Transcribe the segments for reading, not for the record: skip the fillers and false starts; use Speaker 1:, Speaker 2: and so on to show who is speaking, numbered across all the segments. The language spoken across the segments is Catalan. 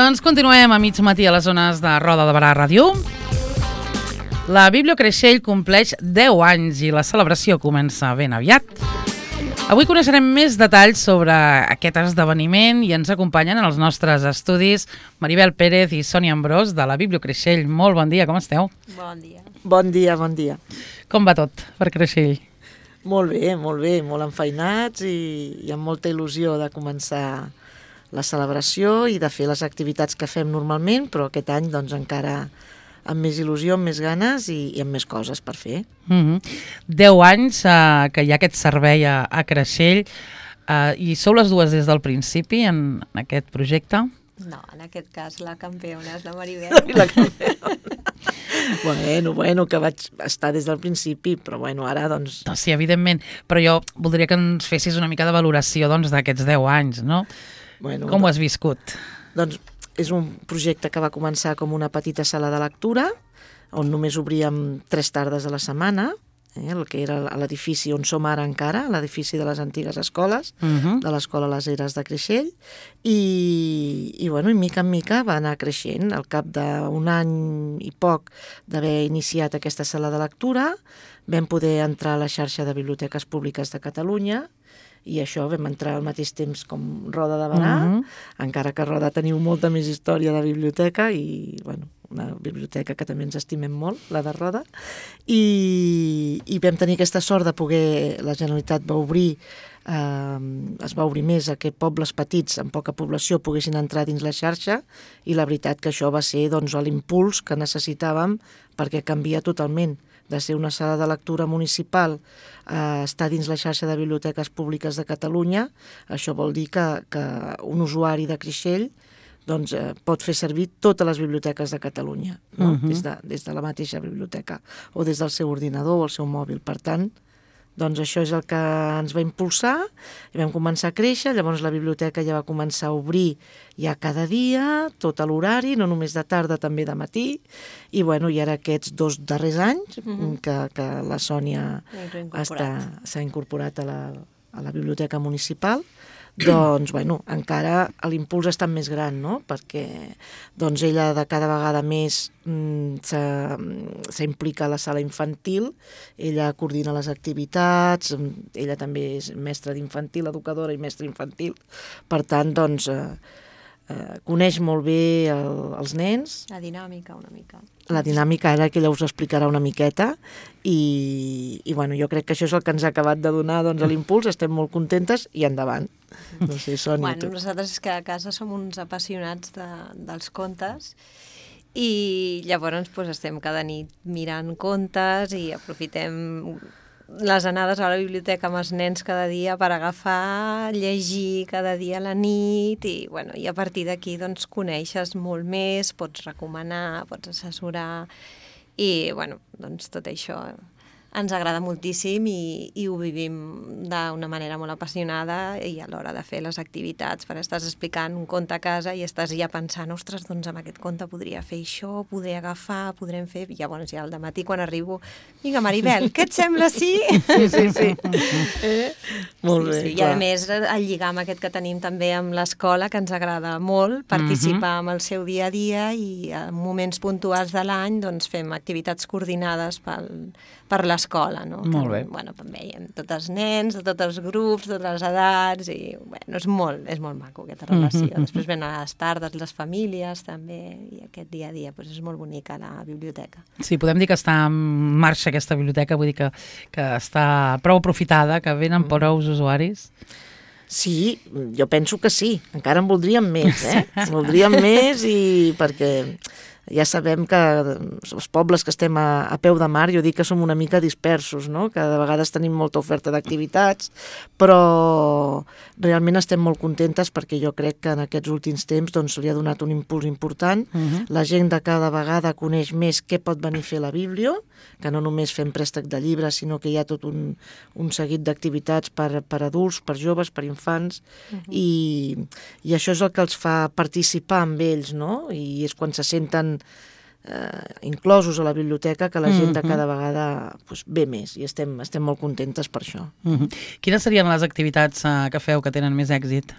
Speaker 1: Doncs continuem a mig matí a les zones de Roda de Barà Ràdio. La Biblio Creixell compleix 10 anys i la celebració comença ben aviat. Avui coneixerem més detalls sobre aquest esdeveniment i ens acompanyen en els nostres estudis Maribel Pérez i Sònia Ambrós de la Biblio Creixell. Molt bon dia, com esteu?
Speaker 2: Bon dia.
Speaker 3: Bon dia, bon dia.
Speaker 1: Com va tot per Creixell?
Speaker 3: Molt bé, molt enfeinats i amb molta il·lusió de començar la celebració i de fer les activitats que fem normalment, però aquest any doncs encara amb més il·lusió, amb més ganes i amb més coses per fer.
Speaker 1: 10 anys que hi ha aquest servei a Creixell i sou les dues des del principi en aquest projecte?
Speaker 2: No, en aquest cas la campiona és la Maribel.
Speaker 3: La campiona. Bueno, que vaig estar des del principi, però bueno, ara doncs...
Speaker 1: No, sí, evidentment, però jo voldria que ens fessis una mica de valoració d'aquests 10 anys, no?
Speaker 3: Bueno,
Speaker 1: com ho has viscut?
Speaker 3: Doncs és un projecte que va començar com una petita sala de lectura, on només obríem 3 tardes a la setmana, el que era l'edifici on som ara encara, l'edifici de les antigues escoles, de l'Escola Les Eres de Creixell, i mica en mica va anar creixent. Al cap d'un any i poc d'haver iniciat aquesta sala de lectura, vam poder entrar a la xarxa de biblioteques públiques de Catalunya, i això vam entrar al mateix temps com Roda de Barà, encara que a Roda teniu molta més història de biblioteca i, una biblioteca que també ens estimem molt, la de Roda, i vam tenir aquesta sort de poder, la Generalitat va obrir, es va obrir més a que pobles petits amb poca població poguessin entrar dins la xarxa, i la veritat que això va ser l'impuls que necessitàvem perquè canvia totalment de ser una sala de lectura municipal a estar dins la xarxa de biblioteques públiques de Catalunya. Això vol dir que un usuari de Creixell pot fer servir totes les biblioteques de Catalunya, des de la mateixa biblioteca o des del seu ordinador o el seu mòbil. Per tant, això és el que ens va impulsar i vam començar a créixer. Llavors la biblioteca ja va començar a obrir ja cada dia, tot a l'horari, no només de tarda, també de matí, i ara aquests 2 darrers anys que la Sònia s'ha incorporat a la biblioteca municipal, doncs, encara l'impuls ha estat més gran, no? Perquè ella de cada vegada més s'implica a la sala infantil, ella coordina les activitats, ella també és mestra d'infantil, educadora i mestra infantil, per tant, coneix molt bé els nens.
Speaker 2: La dinàmica, una mica.
Speaker 3: La dinàmica ara que ella us explicarà una miqueta i jo crec que això és el que ens ha acabat de donar l'impuls, estem molt contentes i endavant. No sé, Sònia.
Speaker 2: Nosaltres és que a casa som uns apassionats dels contes i llavors estem cada nit mirant contes i aprofitem les anades a la biblioteca amb els nens cada dia per agafar, llegir cada dia a la nit i a partir d'aquí coneixes molt més, pots recomanar, pots assessorar i tot això ens agrada moltíssim i ho vivim d'una manera molt apassionada i a l'hora de fer les activitats, perquè estàs explicant un conte a casa i estàs ja pensant, ostres, amb aquest conte podria fer això, podré agafar, podrem fer... I llavors ja al dematí quan arribo, vinga Maribel, què et sembla, sí?
Speaker 3: Sí. Molt bé,
Speaker 2: sí. I a més el lligam aquest que tenim també amb l'escola, que ens agrada molt, participar amb el seu dia a dia i en moments puntuals de l'any fem activitats coordinades per l'escola, no?
Speaker 1: Molt bé.
Speaker 2: També hi ha tots els nens, de tots els grups, totes les edats, i és molt maco aquesta relació. Després venen a les tardes les famílies també, i aquest dia a dia és molt bonica la biblioteca.
Speaker 1: Sí, podem dir que està en marxa aquesta biblioteca, vull dir que està prou aprofitada, que venen prous usuaris.
Speaker 3: Sí, jo penso que sí, encara en voldríem més, voldríem més perquè... Ja sabem que els pobles que estem a peu de mar, jo dic que som una mica dispersos, no? Que de vegades tenim molta oferta d'activitats, però realment estem molt contentes perquè jo crec que en aquests últims temps li ha donat un impuls important. La gent de cada vegada coneix més què pot venir a fer la Biblio, que no només fem préstec de llibres, sinó que hi ha tot un seguit d'activitats per adults, per joves, per infants, i això és el que els fa participar amb ells, no? I és quan se senten inclosos a la biblioteca que la gent de cada vegada ve més i estem molt contentes per això.
Speaker 1: Quines serien les activitats que feu que tenen més èxit?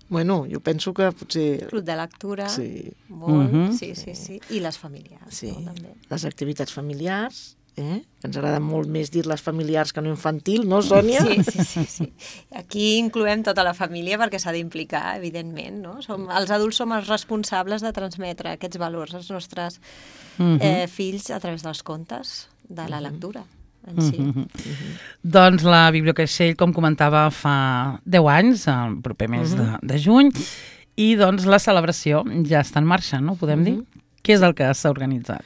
Speaker 3: Bueno, jo penso que potser...
Speaker 2: Club de lectura,
Speaker 3: Sí.
Speaker 2: molt, sí. I les familiars,
Speaker 3: Sí,
Speaker 2: no, també.
Speaker 3: les activitats familiars, que ens agrada molt més dir-les familiars que no infantil, no, Sònia?
Speaker 2: Sí. Aquí incloem tota la família perquè s'ha d'implicar, evidentment, no? Els adults som els responsables de transmetre aquests valors als nostres fills a través dels contes, de la lectura en si.
Speaker 1: Doncs la Bibliocreixell, com comentava, fa 10 anys, el proper mes de juny, i doncs la celebració ja està en marxa, no? Podem dir? Què és el que s'ha organitzat?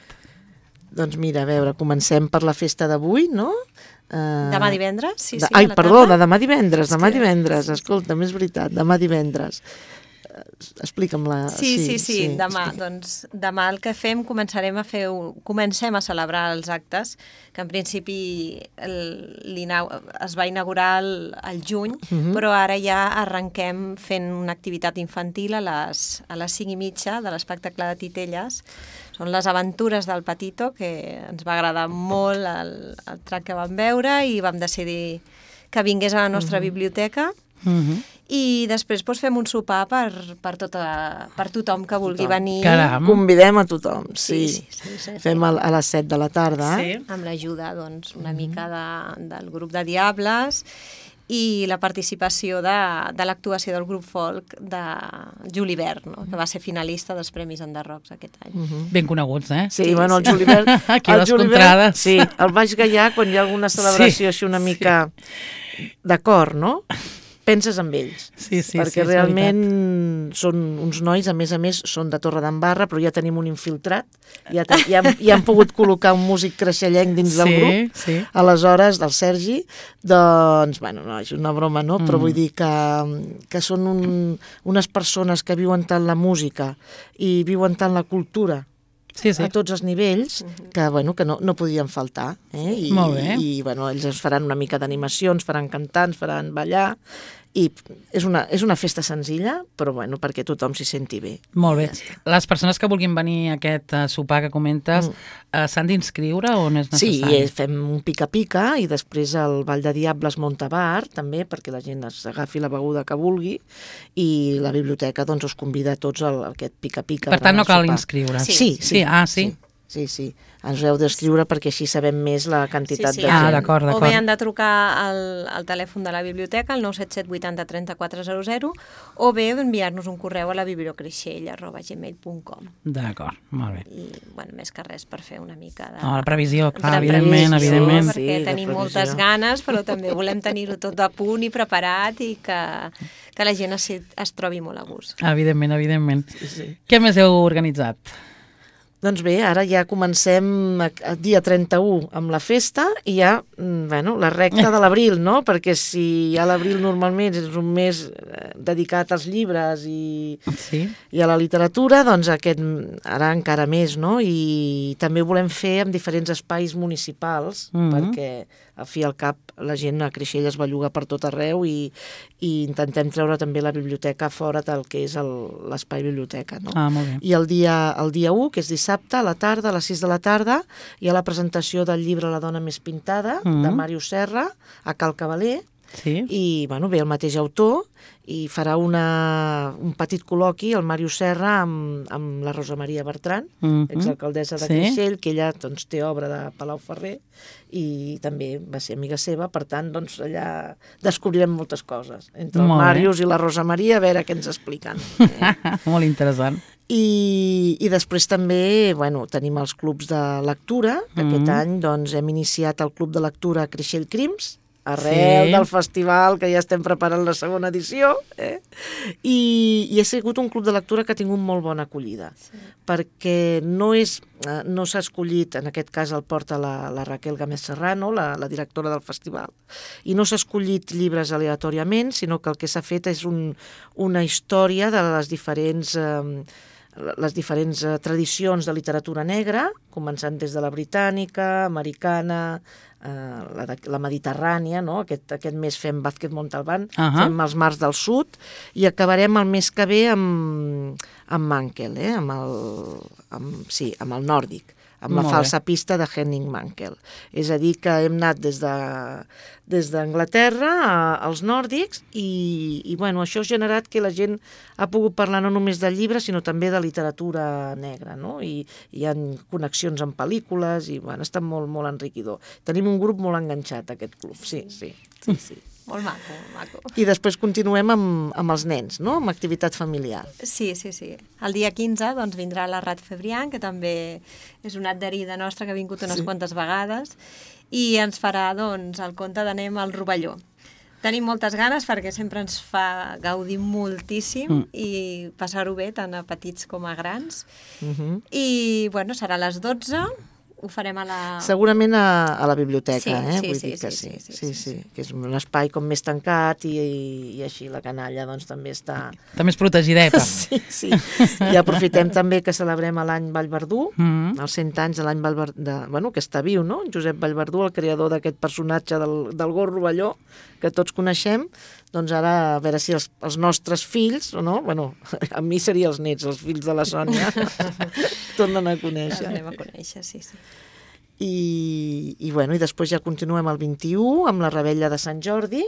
Speaker 3: Doncs mira, a veure, comencem per la festa d'avui, no?
Speaker 2: Demà divendres? Sí,
Speaker 3: Ai,
Speaker 2: a la
Speaker 3: perdó,
Speaker 2: tarda.
Speaker 3: de demà divendres, escolta, és veritat, demà divendres. Explica'm la...
Speaker 2: Sí, demà. Doncs demà el que fem, comencem a celebrar els actes, que en principi es va inaugurar al juny, però ara ja arrenquem fent una activitat infantil a les 5:30 de l'espectacle de Titelles. Són les aventures del Patito, que ens va agradar molt el track que vam veure i vam decidir que vingués a la nostra biblioteca. I després fem un sopar per tothom que vulgui venir.
Speaker 1: Caram.
Speaker 3: Convidem a tothom, sí.
Speaker 2: Sí.
Speaker 3: Fem a les 7 de la tarda.
Speaker 1: Sí.
Speaker 2: Amb l'ajuda, doncs, una mica del grup de Diables i la participació de l'actuació del grup folk de Julivert, no? Que va ser finalista dels Premis Enderrocs aquest any.
Speaker 1: Ben coneguts, eh?
Speaker 3: Sí, bueno, el Julivert...
Speaker 1: Aquí a les contrades.
Speaker 3: Sí, el Baix Gaià, quan hi ha alguna celebració així una mica d'acord, no? Penses en ells,
Speaker 1: Sí,
Speaker 3: perquè realment són uns nois, a més, són de Torredembarra, però ja tenim un infiltrat, ja han pogut col·locar un músic creixellenc dins del grup, aleshores, del Sergi, doncs, bueno, no, és una broma, no? Però vull dir que són unes persones que viuen tant la música i viuen tant la cultura, a tots els nivells, que no podien faltar.
Speaker 1: Molt bé.
Speaker 3: I ells ens faran una mica d'animació, ens faran cantar, ens faran ballar, i és una festa senzilla, però perquè tothom s'hi senti bé.
Speaker 1: Molt bé. Les persones que vulguin venir a aquest sopar que comentes s'han d'inscriure o no és necessari?
Speaker 3: Sí, fem un pica-pica i després el Ball de Diables munta bar, també, perquè la gent agafi la beguda que vulgui, i la biblioteca us convida a tots a aquest pica-pica.
Speaker 1: Per tant, no cal inscriure's.
Speaker 3: Sí.
Speaker 1: Sí.
Speaker 3: Ens heu d'escriure perquè així sabem més la quantitat de gent.
Speaker 1: Ah, d'acord.
Speaker 2: O bé han de trucar al telèfon de la biblioteca, al 977 80 3400, o bé enviar-nos un correu a la bibliocreixell@gmail.com.
Speaker 1: D'acord, molt bé.
Speaker 2: I, més que res per fer una mica de...
Speaker 1: La previsió, clar,
Speaker 2: de
Speaker 1: evidentment.
Speaker 2: Perquè tenim moltes ganes, però també volem tenir-ho tot a punt i preparat i que la gent es trobi molt a gust.
Speaker 1: Evidentment. Sí. Què més heu organitzat?
Speaker 3: Doncs bé, ara ja comencem el dia 31 amb la festa i ja, la recta de l'abril, no? Perquè si ja l'abril normalment és un mes dedicat als llibres i a la literatura, doncs ara encara més, no? I també ho volem fer en diferents espais municipals, perquè al fi i al cap la gent a Creixell es belluga per tot arreu i intentem treure també la biblioteca fora del que és l'espai biblioteca, no?
Speaker 1: Molt bé.
Speaker 3: I el dia 1, que és dissabte, a la tarda, a les 6 de la tarda, hi ha la presentació del llibre La dona més pintada, de Màrius Serra, a Cal Cavaler, i ve el mateix autor i farà un petit col·loqui, el Màrius Serra, amb la Rosa Maria Bertran, exalcaldessa de Creixell, que ella té obra de Palau Ferrer i també va ser amiga seva, per tant, allà descobrirem moltes coses. Entre el Màrius i la Rosa Maria, a veure què ens expliquen.
Speaker 1: Molt interessant.
Speaker 3: I després també tenim els clubs de lectura, que aquest any hem iniciat el club de lectura Creixell Crims, arrel del festival, que ja estem preparant la segona edició, i ha sigut un club de lectura que ha tingut molt bona acollida, perquè no s'ha escollit, en aquest cas el porta la Raquel Gámez Serrano, la directora del festival, i no s'ha escollit llibres aleatòriament, sinó que el que s'ha fet és una història de les diferents tradicions de literatura negra, començant des de la britànica, americana, la mediterrània, no? Aquest mes fem Vázquez Montalbán, fem els mars del sud, i acabarem el mes que ve amb Mankel, amb el nòrdic. amb la
Speaker 1: Molt
Speaker 3: falsa pista de Henning Mankell. És a dir, que hem anat des d'Anglaterra als nòrdics i bueno, això ha generat que la gent ha pogut parlar no només del llibre, sinó també de literatura negra, no? I hi ha connexions amb pel·lícules i bueno, ha estat molt, molt enriquidor. Tenim un grup molt enganxat, aquest club, sí.
Speaker 2: Molt maco, molt maco.
Speaker 3: I després continuem amb els nens, no? Amb activitat familiar.
Speaker 2: Sí. El dia 15 doncs, vindrà la Rat Febrián, que també és una adherida nostra que ha vingut unes quantes vegades, i ens farà doncs, el conte d'Anem al Rovelló. Tenim moltes ganes perquè sempre ens fa gaudir moltíssim i passar-ho bé tant a petits com a grans. I bueno, serà a les 12, ho farem a la...
Speaker 3: Segurament a la biblioteca,
Speaker 2: Sí,
Speaker 3: vull dir que sí, que és un espai com més tancat i així la canalla doncs també està...
Speaker 1: També és protegideta.
Speaker 3: Sí. I aprofitem també que celebrem l'any Vallverdú, els 100 anys de l'any Vallverdú, bueno, que està viu, no? Josep Vallverdú, el creador d'aquest personatge del gos rovelló, que tots coneixem, doncs ara a veure si els nostres fills, no? Bueno, a mi serien els nets, els fills de la Sònia, tornen a conèixer.
Speaker 2: Els anem a conèixer, sí.
Speaker 3: I bueno, i després ja continuem el 21 amb la Revetlla de Sant Jordi,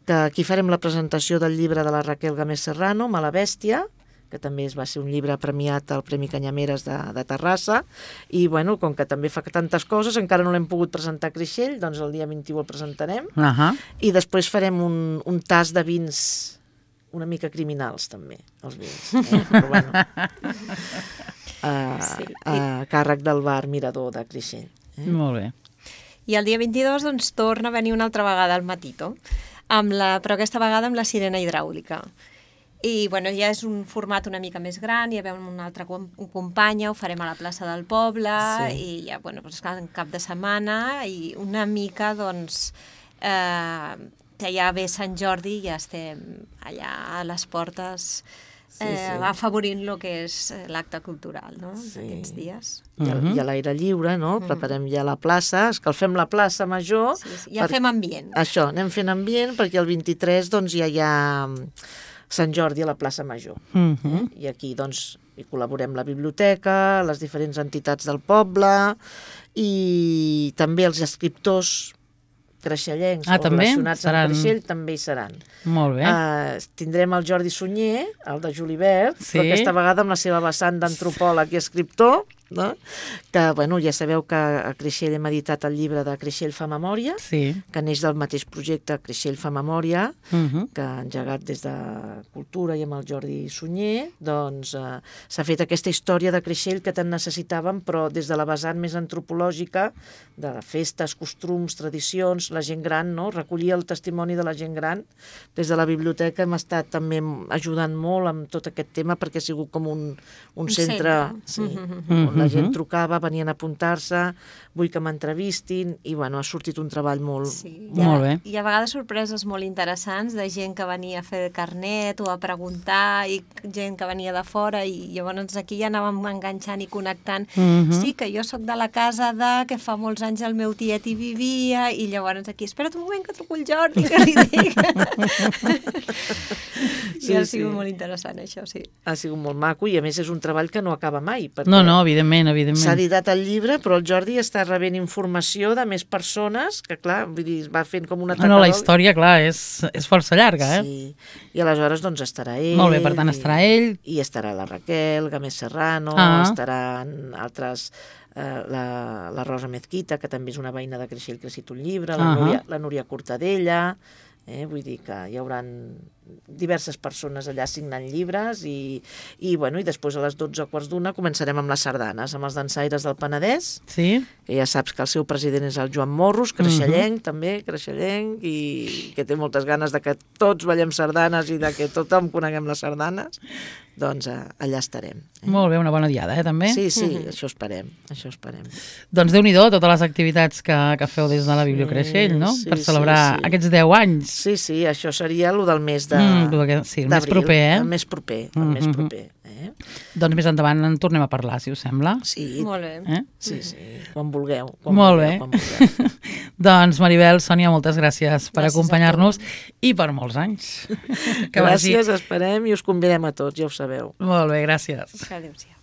Speaker 3: que aquí farem la presentació del llibre de la Raquel Gamés Serrano, Mala Bèstia, que també va ser un llibre premiat al Premi Canyameres de Terrassa, i bueno, com que també fa tantes coses, encara no l'hem pogut presentar a Creixell, doncs el dia 21 el presentarem, i després farem un tast de vins una mica criminals també, els vins, però bueno... a càrrec del bar Mirador de Creixell.
Speaker 1: Molt bé.
Speaker 2: I el dia 22 doncs, torna a venir una altra vegada al Matito, però aquesta vegada amb la sirena hidràulica. I bueno, ja és un format una mica més gran, hi ha una altra companya, ho farem a la plaça del poble, i ja, bueno, doncs, en cap de setmana, i una mica, doncs, que ja ve Sant Jordi i ja estem allà a les portes afavorint el que és l'acte cultural, no?, d'aquests dies.
Speaker 3: I a l'aire lliure, no? Preparem ja la plaça, escalfem la plaça major.
Speaker 2: Ja fem ambient.
Speaker 3: Això, anem fent ambient perquè el 23 doncs ja hi ha Sant Jordi a la plaça major. I aquí doncs hi col·laborem la biblioteca, les diferents entitats del poble i també els escriptors creixellencs o relacionats amb Creixell també hi seran.
Speaker 1: Molt bé.
Speaker 3: Tindrem el Jordi Sunyer, el de Julibert, però aquesta vegada amb la seva vessant d'antropòleg i escriptor, no? Que, bueno, ja sabeu que a Creixell hem editat el llibre de Creixell fa memòria, que neix del mateix projecte Creixell fa memòria, que ha engegat des de Cultura i amb el Jordi Sunyer, doncs s'ha fet aquesta història de Creixell que tant necessitàvem, però des de la vessant més antropològica, de festes, costums, tradicions, la gent gran, no? Recollir el testimoni de la gent gran. Des de la biblioteca hem estat també ajudant molt amb tot aquest tema perquè ha sigut com un centre on la gent trucava, venien a apuntar-se, vull que m'entrevistin, i bueno, ha sortit un treball molt
Speaker 1: bé.
Speaker 2: I a vegades sorpreses molt interessants de gent que venia a fer carnet o a preguntar, i gent que venia de fora, i llavors aquí ja anàvem enganxant i connectant. Sí, que jo sóc de la casa que fa molts anys el meu tiet hi vivia, i llavors aquí, espera't un moment que truco el Jordi, que li dic. I ha sigut molt interessant, això, sí.
Speaker 3: Ha sigut molt maco, i a més és un treball que no acaba mai.
Speaker 1: No, evidentment.
Speaker 3: S'ha editat el llibre, però el Jordi està rebent informació de més persones, que clar, vull dir, va fent com una tacadol.
Speaker 1: No, la història, clar, és força llarga,
Speaker 3: Sí, i aleshores doncs estarà ell.
Speaker 1: Molt bé, per tant estarà ell.
Speaker 3: I estarà la Raquel Gamés Serrano, estaran altres... la Rosa Mezquita, que també és una veïna de Creixell que ha escrit un llibre, la Núria Cortadella, vull dir que hi haurà diverses persones allà signant llibres i després a les 12:15 començarem amb les sardanes, amb els dansaires del Penedès, que ja saps que el seu president és el Joan Morros, creixellenc també, creixellenc, i que té moltes ganes de que tots ballem sardanes i de que tothom coneguem les sardanes, doncs allà estarem.
Speaker 1: Molt bé, una bona diada, també?
Speaker 3: Sí, això esperem.
Speaker 1: Doncs Déu-n'hi-do totes les activitats que feu des de la Bibliocreixell, no? Per celebrar aquests 10 anys.
Speaker 3: Sí, això seria el del mes de
Speaker 1: sí, el més proper,
Speaker 3: El més proper.
Speaker 1: Doncs més endavant en tornem a parlar, si us sembla.
Speaker 3: Sí.
Speaker 2: Molt bé.
Speaker 3: Sí, quan vulgueu.
Speaker 1: Molt bé. Doncs Maribel, Sònia, moltes gràcies per acompanyar-nos i per molts anys.
Speaker 3: Gràcies, esperem, i us convidem a tots, ja ho sabeu.
Speaker 1: Molt bé, gràcies.
Speaker 2: Adéu-siau.